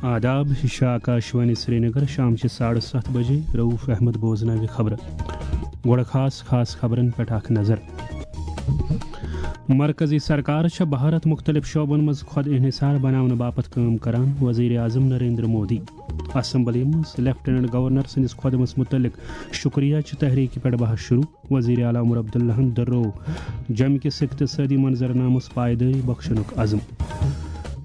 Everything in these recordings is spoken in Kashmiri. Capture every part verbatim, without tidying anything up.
آداب، یہِ چھِ آکاشوانی سرینگر، شام چہِ ساڑٕ ستھ بجے۔ رؤف احمد بوزناوِ خبرٕ۔ گۄڈٕ خاص خاص خبرن پٮ۪ٹھ اکھ نظر۔ مرکزی سرکار چھےٚ بھارت مُختٔلِف شعبن منٛز خۄد انحصار بناونہٕ باپتھ کٲم کران، وزیر اعظم نریندر مودی۔ اسمبلی منٛز لیفٹیننٹ گورنر سٕنٛدِس خۄدمس مُتعلق شُکریہ چہِ تحریٖکہِ پٮ۪ٹھ بحث شروع، وزیر اعلیٰ عمر عبداللہن دۄہرو جوٚمہِ کِس اقتصٲدی منظرنامس پایدٲری بخشنُک عزم۔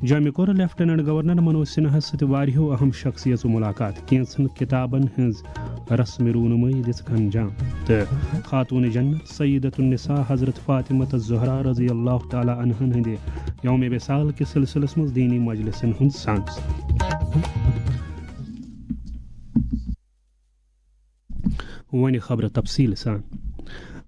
جوٚمہِ کوٚر لیفٹیننٹ گورنر منوج سنہاہس سۭتۍ واریاہو اہم شخصیژو ملاقات، کینژن کتابن ہٕنٛز رسم رونمٲیی دِژٕکھ انجام تہٕ خاتون جنت سیدۃ النساء حضرت فاطمہ الزہرا رضی اللہ تعالیٰ عنہن ہٕنٛدِ یوم وصال کِس سلسلس منٛز دینی مجلسن ہُنٛد سانس۔ وۄنۍ خبرٕ تفصیٖل سان۔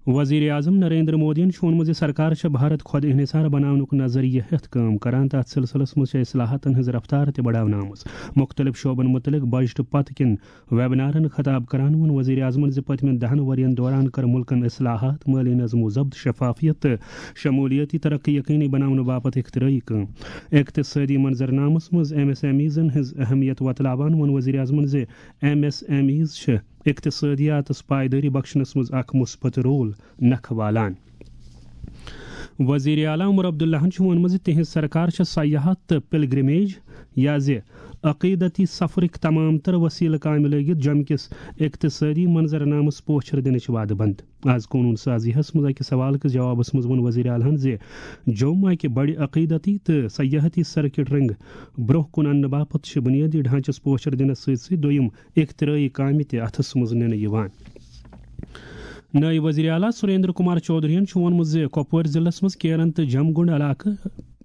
وزیر اعظم نریندر مودیَن چھُ ووٚنمُت زِ سرکار چھےٚ بھارت خۄد انحصار بناونُک نظریہ ہٮ۪تھ کٲم کران۔ تَتھ سلسلس منٛز چھےٚ اصلاحاتن ہٕنٛز رفتار تہِ بڑاونہٕ آمٕژ۔ مُختٔلِف شعبن مُتعلق بجٹہٕ پتہٕ کٮ۪ن ویبنارن خطاب کران ووٚن وزیر اعظمن زِ پٔتمٮ۪ن دَہن ؤرین دوران کٔر مُلکن اصلاحات، مٲلی نظم و ضبط، شفافیت تہٕ شمولیتی ترقی یقینی بناونہٕ باپتھ اختراعی کٲم۔ اقتصٲدی منظرنامس منٛز ایم ایس ایم ایزن ہٕنٛز اہمیت وۄتلاوان ووٚن وزیر اعظمن زِ ایم ایس ایم ایز چھِ اقتصٲدیاتس پایدٲری بخشنس منٛز اکھ مثبت رول نکھٕ والان۔ وزیر اعلیٰ عمر عبداللہن چھُ ووٚنمُت زِ تِہنٛز سرکار چھےٚ سیاحت تہٕ پلگرمیج یا زِ عقیدتی سفرٕکۍ تمام تر وسیلہٕ کامہِ لٲگِتھ جوٚمہِ کِس اقتصٲدی منظرنامس پوچھر دِنٕچ وعدٕ بنٛد۔ آز قونوٗن سازیَس منٛز أکِس سوال کِس جوابس منٛز ووٚن وزیر اعلیٰ ہن زِ جوٚم اکہِ بڑِ عقیدتی تہٕ سیاحتی سرکٹ رنٛگ برٛونٛہہ کُن اننہٕ باپتھ چھِ بنیٲدی ڈھانچس پوچھر دِنس سۭتۍ سۭتۍ دوٚیِم اختراعی کامہِ تہِ اَتھَس منٛز نِنہٕ یِوان۔ نٲیِب وزیر اعلیٰ سریندر کمار چودھرین چھُ ووٚنمُت زِ کۄپوٲرۍ ضلعس منٛز کیرن تہٕ جمگنڈ علاقہٕ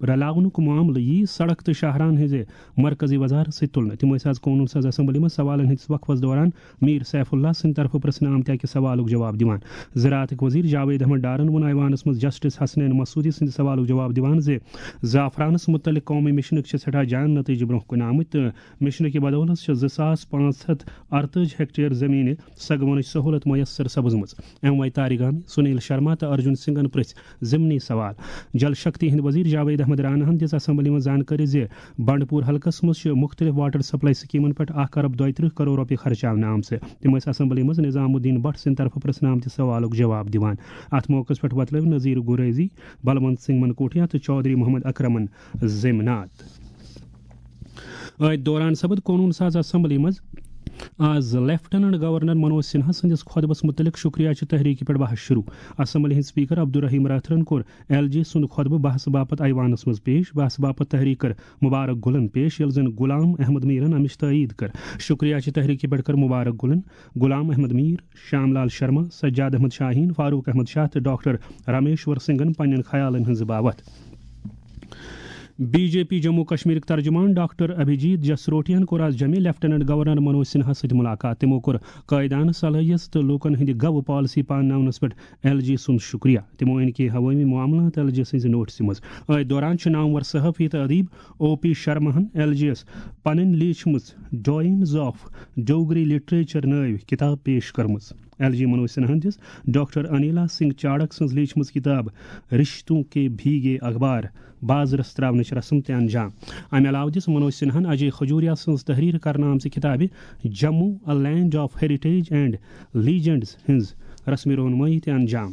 رلاونُک معاملہٕ یِیہِ سڑک تہٕ شاہراہن ہٕنٛزِ مرکزی وزارت سۭتۍ تُلنہٕ۔ تِم ٲسۍ آز قونوٗن ساز اسمبلی منٛز سوالن ہٕنٛدِس وقفس دوران میر سیف اللہ سٕنٛدِ طرفہٕ پرٛژھنہٕ آمتہِ اکہِ سوالُک جواب دِوان۔ زراعتٕکۍ وزیر جاوید احمد ڈارن ووٚن ایوانس منٛز جسٹس حسنین مسعودی سٕنٛدِ سوالُک جواب دِوان زِ زعفرانس مُتعلق قومی مشنٕکۍ چھِ سٮ۪ٹھاہ جان نتیجہٕ برٛونٛہہ کُن آمٕتۍ تہٕ مشنہٕ کہِ بدولت چھِ زٕ ساس پانٛژھ ہتھ ارتٲجی ہیکٹیر زمینہِ سگونٕچ سہولت میسر سپزمٕژ۔ ایم وائی تارگامی، سنیل شرما تہٕ ارجن سنگھن پرژھۍ ضمنی سوال۔ جل شکتی ہٕنٛدۍ وزیر جاوید احمد راناہن دِژ اسمبلی منٛز زانکٲری زِ بنڈپور حلقس منٛز چھِ مُختٔلِف واٹر سپلائی سکیمن پٮ۪ٹھ اکھ ارب دۄیہِ ترٕٛہ کرور رۄپیہِ خرچاونہٕ آمژٕ۔ تِم ٲسۍ اسمبلی منٛز نظام الدین بٹ سٕنٛدِ طرفہٕ پرژھنہٕ آمتہِ سوالُک جواب دِوان۔ اتھ موقعس پٮ۪ٹھ وۄتلٲوۍ نذیر گریزی، بلونت سنگھ منکوٹیا تہٕ چودھری محمد اکرمن زیمنات۔ أتھۍ دوران سپد قونوٗن ساز اسمبلی منٛز آز لیفٹیننٹ گورنر منوج سنہا سٕنٛدِس خطبس مُتعلق شُکریہ چہِ تحریٖکہِ پٮ۪ٹھ بحث شروع۔ اسمبلی ہٕنٛدۍ سپیکر عبدالرحیم راتھرن کوٚر ایل جی سُنٛد خطبہٕ بحث باپتھ ایوانس منٛز پیش۔ بحث باپتھ تحریٖک کٔر مبارک گُلن پیش، ییٚلہِ زن غلام احمد میٖرن امِچ تٲیٖد کٔر۔ شُکریہ چہِ تحریٖکہِ پٮ۪ٹھ کٔر مبارک گُلن، غلام احمد میٖر، شام لال شرما، سجاد احمد شاہین، فاروق احمد شاہ تہٕ ڈاکٹر رامیشور سنگھن پننٮ۪ن خیالن ہٕنٛز باوتھ۔ بی جے پی جموں کشمیرٕکۍ ترجمان ڈاکٹر ابھیجیت جسروٹیَن کوٚر آز جوٚمہِ لیفٹیننٹ گورنر منوج سنہاہَس سۭتۍ مُلاقات۔ تِمَو کوٚر قٲیدانہٕ صلٲحیت تہٕ لوٗکَن ہٕنٛدِ گَوٕ پالیسی پانناونَس پٮ۪ٹھ ایل جی سُنٛد شُکریہ۔ تِمَو أنۍ کینٛہہ عوٲمی معاملات ایل جی سٕنٛزِ نوٹسہِ منٛز۔ أتھۍ دوران چھُ نامور صحافی تہٕ ادیب او پی شرماہَن ایل جی یَس پنٕنۍ لیٖچھمٕژ ڈوائنز آف ڈوگری لٹریچر نٲوۍ کِتاب پیش کٔرمٕژ۔ ایل جی منوج سنہاہَن دِژ ڈاکٹر انیلا سنگھ چاڑک سٕنٛز لیٖچھمٕژ کِتاب رشتوں کے بھیگے اخبار بازرس تراونٕچ رسم تہِ انجام۔ امہِ علاوٕ دِژ منوج سنہاہَن اجے کھجوریا سٕنٛز تحریر کرنہٕ آمژِ کِتابہِ Jammu, A Land of Heritage and Legends ہٕنٛز رسم رونمٲیی تہِ انجام۔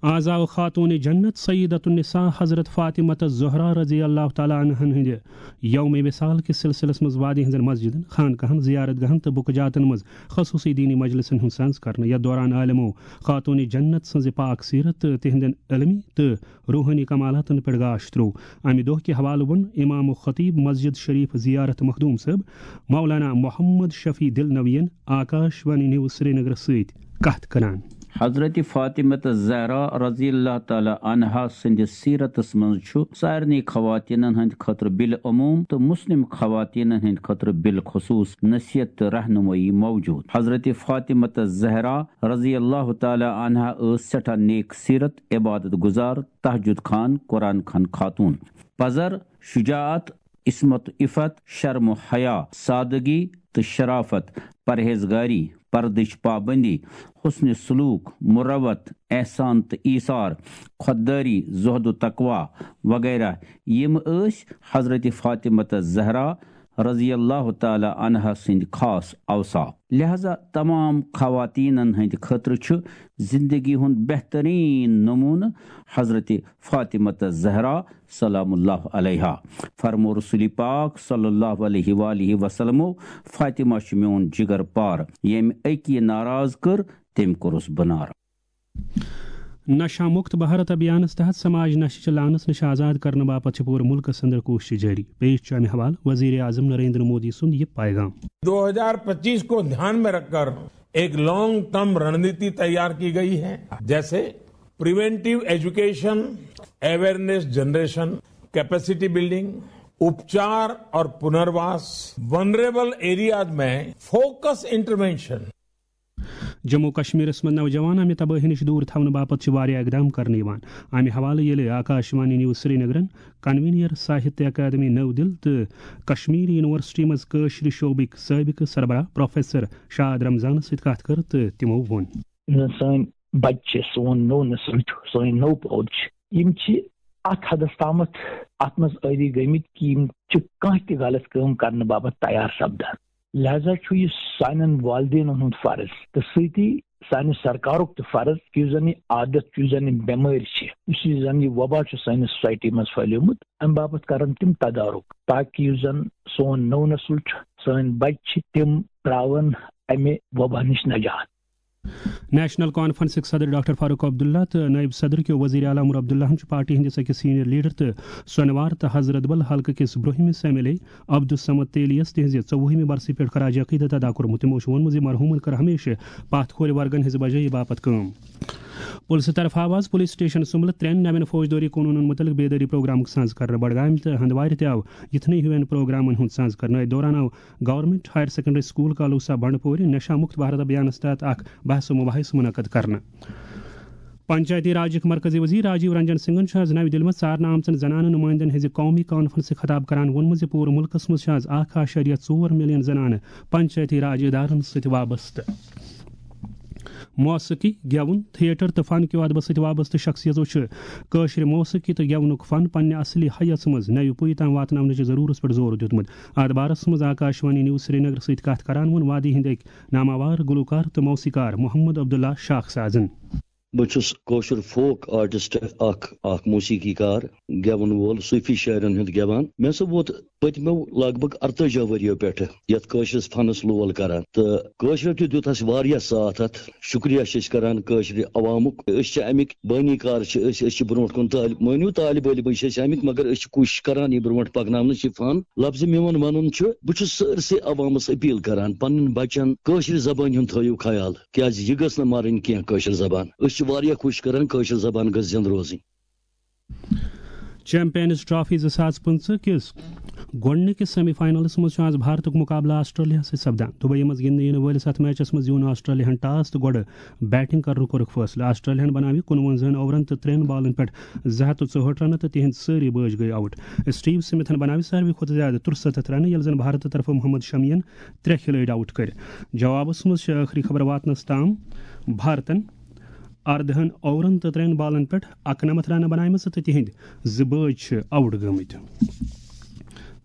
آز آو خاتون جنت سیدۃ النساء حضرت فاطمہ الزہرا رضی اللہ تعالیٰ عنہن ہٕنٛدِ یوم وصال کِس سلسلس منٛز وادی ہٕنٛزن مسجدن، خانقاہن، زیارت گاہن تہٕ بُکہٕ جاتن منٛز خصوصی دینی مجلسن ہُنٛد سنز کرنہٕ۔ یتھ دوران عالمو خاتون جنت سٕنٛزِ پاک سیرت تہٕ تِہنٛدٮ۪ن علمی تہٕ روحٲنی کمالاتن پٮ۪ٹھ گاش تروو۔ امہِ دۄہ کہِ حوالہٕ ووٚن امام و خطیب مسجد شریف زیارت مخدوم صٲب مولانا محمد شفیع دلنوین آکاش وانی نیوز سرینگرس سۭتۍ کتھ کران۔ حضرت فاطمہ الزہرا رضی اللہ تعالیٰ عنہا سٕنٛدِس سیرتس منٛز چھُ سارنٕے خواتیٖنن ہٕنٛدِ خٲطرٕ بالعموم تہٕ مسلم خواتیٖنن ہٕنٛدِ خٲطرٕ بالخصوص نصیحت تہٕ رہنمٲیی موجود۔ حضرت فاطمہ الزہرا رضی اللہ تعالیٰ عنہا ٲس سٮ۪ٹھاہ نیک سیرت، عبادت گزار، تہجد خوان، قرآن خوان خاتون۔ پزر، شجاعت، عصمت و عفت، شرم و حیا، سادگی تہٕ شرافت، پرہیزگاری، پردٕچ پابندی، حسن سلوک، مروت، احسان تہٕ ایثار، خودداری، زہد و تقوی وغیرہ، یِم ٲسۍ حضرت فاطمہ الزہرا رضی اللہ تعالیٰ عنہ سٕنٛدۍ خاص اوصاف۔ لہذا تمام خواتینن ہٕنٛدِ خٲطرٕ چھُ زندگی ہُنٛد بہترین نمونہٕ حضرت فاطمہ الزہرا سلام اللہ علیہا۔ فرمو رسول پاک صلی اللہ علیہ وآلہ وسلمو، "فاطمہ چھُ میون جگر پار، ییٚمۍ أکی ناراض کٔر، تٔمۍ کوٚرُس بہٕ ناراض۔" نشہ مکت بھارت ابھیانس تحت سماج نشہ چہ لعنس نش آزاد کرنہٕ باپتھ چھِ پوٗرٕ ملکس اندر کوٗشش جٲری۔ پیش چھُ امہِ حوالہٕ وزیر اعظم نریندر مودی سُنٛد یہِ پیغام۔ दो हज़ार पच्चीस को ध्यान में रखकर एक लॉन्ग टर्म रणनीति तैयार की गई है, जैसे preventive education, awareness generation, capacity building, उपचार और पुनर्वास, वनरेबल एरियाज में फोकस इंटरवेंशन। جموں و کشمیرس منٛز نوجوان امہِ تبٲہی نِش دوٗر تھاونہٕ باپتھ چھِ واریاہ اقدام کرنہٕ یِوان۔ امہِ حوالہٕ ییٚلہِ آکاشوانی نیوز سرینگرن کنوینر ساہتیہ اکیڈمی نٔو دِل تہٕ کشمیٖر یونیورسٹی منٛز کٲشرِ شعبٕکۍ سٲبقہٕ سربراہ پروفیسر شاد رمضانس سۭتۍ کتھ کٔر تہٕ تِمو ووٚن۔ یُس زن سٲنۍ بچہِ چھِ، سون نوٚو نسل چھُ، سٲنۍ نٔو پود چھِ، یِم چھِ اتھ حدس تامتھ اتھ منٛز عٲدی گٔمٕتۍ کہِ یِم چھِ کانٛہہ تہِ غلط کٲم کرنہٕ باپتھ تیار سپدان۔ لہذا چھُ یہِ سانٮ۪ن والدینن ہُنٛد فرض تہٕ سۭتی سانہِ سرکارُک تہِ فرض کہِ یُس زن یہِ عادت چھُ، یُس زن یہِ بٮ۪مٲرۍ چھِ، یُس یہِ زن یہِ وبا چھُ سانہِ سوسایٹی منٛز پھٔہلیومُت، امہِ باپتھ کرن تِم تدارُک، تاکہِ یُس زن سون نوٚو نسل چھُ، سٲنۍ بچہِ چھِ، تِم تراون امہِ وبا نِش نجات۔ نیشنل کانفرنسٕکۍ صدر ڈاکٹر فاروق عبداللہ تہٕ نٲیِب صدر کیو وزیر اعلیٰ عمر عبداللہن چھُ پارٹی ہٕنٛدِس أکِس سینئر لیڈر تہٕ سۄنوار تہٕ حضرت بل حلقہٕ کِس برٛونٛہمِس ایم ایل اے عبدالصمد تیلیس تِہنٛزِ ژوٚوُہمہِ برسہِ پٮ۪ٹھ خراج عقیدت ادا کوٚرمُت۔ تِمو چھُ ووٚنمُت زِ مرحوٗمن کٔر ہمیشہٕ پتھ کھورِ ورگن ہٕنٛزِ بجٲیی باپتھ کٲم۔ پُلسہٕ طرفہٕ آو آز پُلیس سٹیشن سُمبلہٕ ترٛٮ۪ن نوٮ۪ن فوجدٲری قونوٗنن مُتعلق بیدٲری پروگرامُک ساز کرنہٕ۔ بڈگامہِ تہٕ ہندوارِ تہِ آو یِتھنٕے ہِوٮ۪ن پروگرامن ہُنٛد ساز کرنہٕ۔ أتھۍ دوران آو گورنمنٹ ہائر سیکنڈری سکول کالوسا بنڈپورِ نشہ مکت بھارت ابھیانس تحت اکھ بحث و مباحث منعقد کرنہٕ۔ پنچایتی راجٕکۍ مرکزی وزیر راجیو رنجن سنگھن چھُ آز نَوِ دِلہِ منٛز ژارنہٕ آمژن زنانہٕ نُمٲیندن ہٕنٛزِ قومی کانفرنسہِ خطاب کران ووٚنمُت زِ پوٗرٕ مُلکس منٛز چھِ آز اکھ اعشاریہ ژور ملین زنانہٕ پنچایتی راج ادارن سۭتۍ وابستہٕ۔ موسیقی، گٮ۪وُن، تھیٹر تہٕ فن کیو ادبس سۭتۍ وابستہٕ شخصیژو چھِ کٲشرِ موسیقی تہٕ گٮ۪ونُک فن پننہِ اصلی حیس منٛز نَوِ پُیہِ تام واتناونٕچہِ ضروٗرت پٮ۪ٹھ زور دیُتمُت۔ اتھ بارس منٛز آکاشوانی نیوز سرینگر سۭتۍ کتھ کران ووٚن وادی ہٕنٛدۍ أکۍ ناماوار گلوکار تہٕ موسیقار محمد عبداللہ شاخ سازن۔ بہٕ چھُس کٲشُر فوک آرٹسٹ، اکھ اکھ موسیقی کار، گٮ۪وَن وول، صوٗفی شٲعرن ہُنٛد گٮ۪وان۔ مےٚ ہسا ووت پٔتمیو لگ بگ ارتٲجی ؤرِیو پٮ۪ٹھٕ یتھ کٲشرِس فنس لول کران، تہٕ کٲشرٮ۪و تہِ دیُت اسہِ واریاہ ساتھ۔ اتھ شُکریہ چھِ أسۍ کران کٲشرِ عوامُک۔ أسۍ چھِ امیِکۍ بٲنی کار چھِ أسۍ، أسۍ چھِ برونٛٹھ کُن طٲلب، مٲنِو طالب علمٕے چھِ أسۍ امیِکۍ، مگر أسۍ چھِ کوٗشش کران یہِ برونٛٹھ پکناونٕچ یہِ فن۔ لفظ میون ونُن چھُ، بہٕ چھُس سٲرسٕے عوامس اپیل کران، پننٮ۪ن بچن کٲشرِ زبٲنۍ ہُنٛد تھٲیِو خیال، کیازِ یہِ گٔژھ نہٕ مرٕنۍ کینٛہہ کٲشِر زبان۔ أسۍ چھِ واریاہ کوٗشِش کران کٲشِر زبان گٔژھ زِندٕ روزٕنۍ۔ چیمپئنز ٹرافی زٕ ساس پٕنٛژٕہ کِس گۄڈٕنِکِس سیمی فاینلس منٛز چھُ آز بھارتُک مُقابلہٕ آسٹریلیاہَس سۭتۍ سپدان۔ دُبیی منٛز گِنٛدنہٕ یِنہٕ وٲلِس اَتھ میچَس منٛز زیوٗن آسٹریلیاہَن ٹاس تہٕ گۄڈٕ بیٹنگ کرنُک کوٚرُکھ فٲصلہٕ۔ آسٹریلیاہَن بناوِ کُنوَنزاہَن اوورَن تہٕ ترٛٮ۪ن بالَن پٮ۪ٹھ زٕ ہَتھ تہٕ ژُہٲٹھ رنہٕ تہٕ تِہنٛدۍ سٲری بٲج گٔیہِ آوُٹ۔ سٹیو سمتھَن بناوِ ساروی کھۄتہٕ زیادٕ ترُسَتَتھ رنہٕ، ییٚلہِ زن بھارتہٕ طرفہٕ محمد شمیَن ترٛےٚ کھلٲڑۍ آوُٹ کٔرۍ۔ جوابَس منٛز چھِ ٲخری خبر واتنَس تام بھارتَن اردہَن اوورَن تہٕ ترٛٮ۪ن بالَن پٮ۪ٹھ اَکنَمَتھ رنہٕ بناومٕژ تہٕ تِہنٛدۍ زٕ بٲج چھِ آوُٹ گٔمٕتۍ۔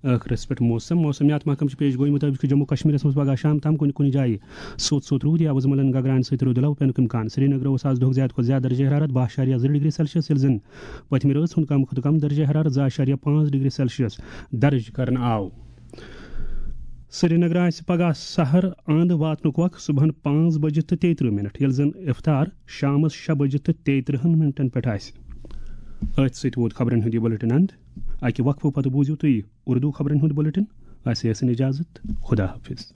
ٲخرس پٮ۪ٹھ موسم۔ موسمیات محکمہٕ چھِ پیش گویی مُطٲبِق چھُ جموں کشمیرس منٛز پگہہ شام تام کُنہِ کُنہِ جایہِ سوٚت سوٚت روٗد یا وُزملن گگراین سۭتۍ رُدٕ لو پینُک امکان۔ سرینگرٕ اوس آز دۄہُک زیادٕ کھۄتہٕ زیادٕ درجہ حرارت باہ اعشاریہ زٕ ڈگری سیلسیس، ییٚلہِ زن پٔتمہِ رٲژ ہُنٛد کم کھۄتہٕ کم درجہ حرارت زٕ اعشاریہ پانٛژھ ڈگری سیلسیس درج کرنہٕ آو۔ سرینگرٕ آسہِ پگہہ سحر اند واتنُک وق صبحن پانٛژھ بجہِ تہٕ تیٚیہِ ترٕٛہ منٹ، ییٚلہِ زن افطار شامس شےٚ بجہِ تہٕ تیٚیہِ ترٕٛہن منٹن پٮ۪ٹھ آسہِ۔ أتھۍ سۭتۍ ووت خبرن ہُنٛد یہِ بُلٹن اند۔ اکہِ وقفہٕ پتہٕ بوٗزِو تُہۍ اردو خبرن ہُنٛد بُلٹن۔ اسہِ ٲسِن اجازت۔ خدا حافظ۔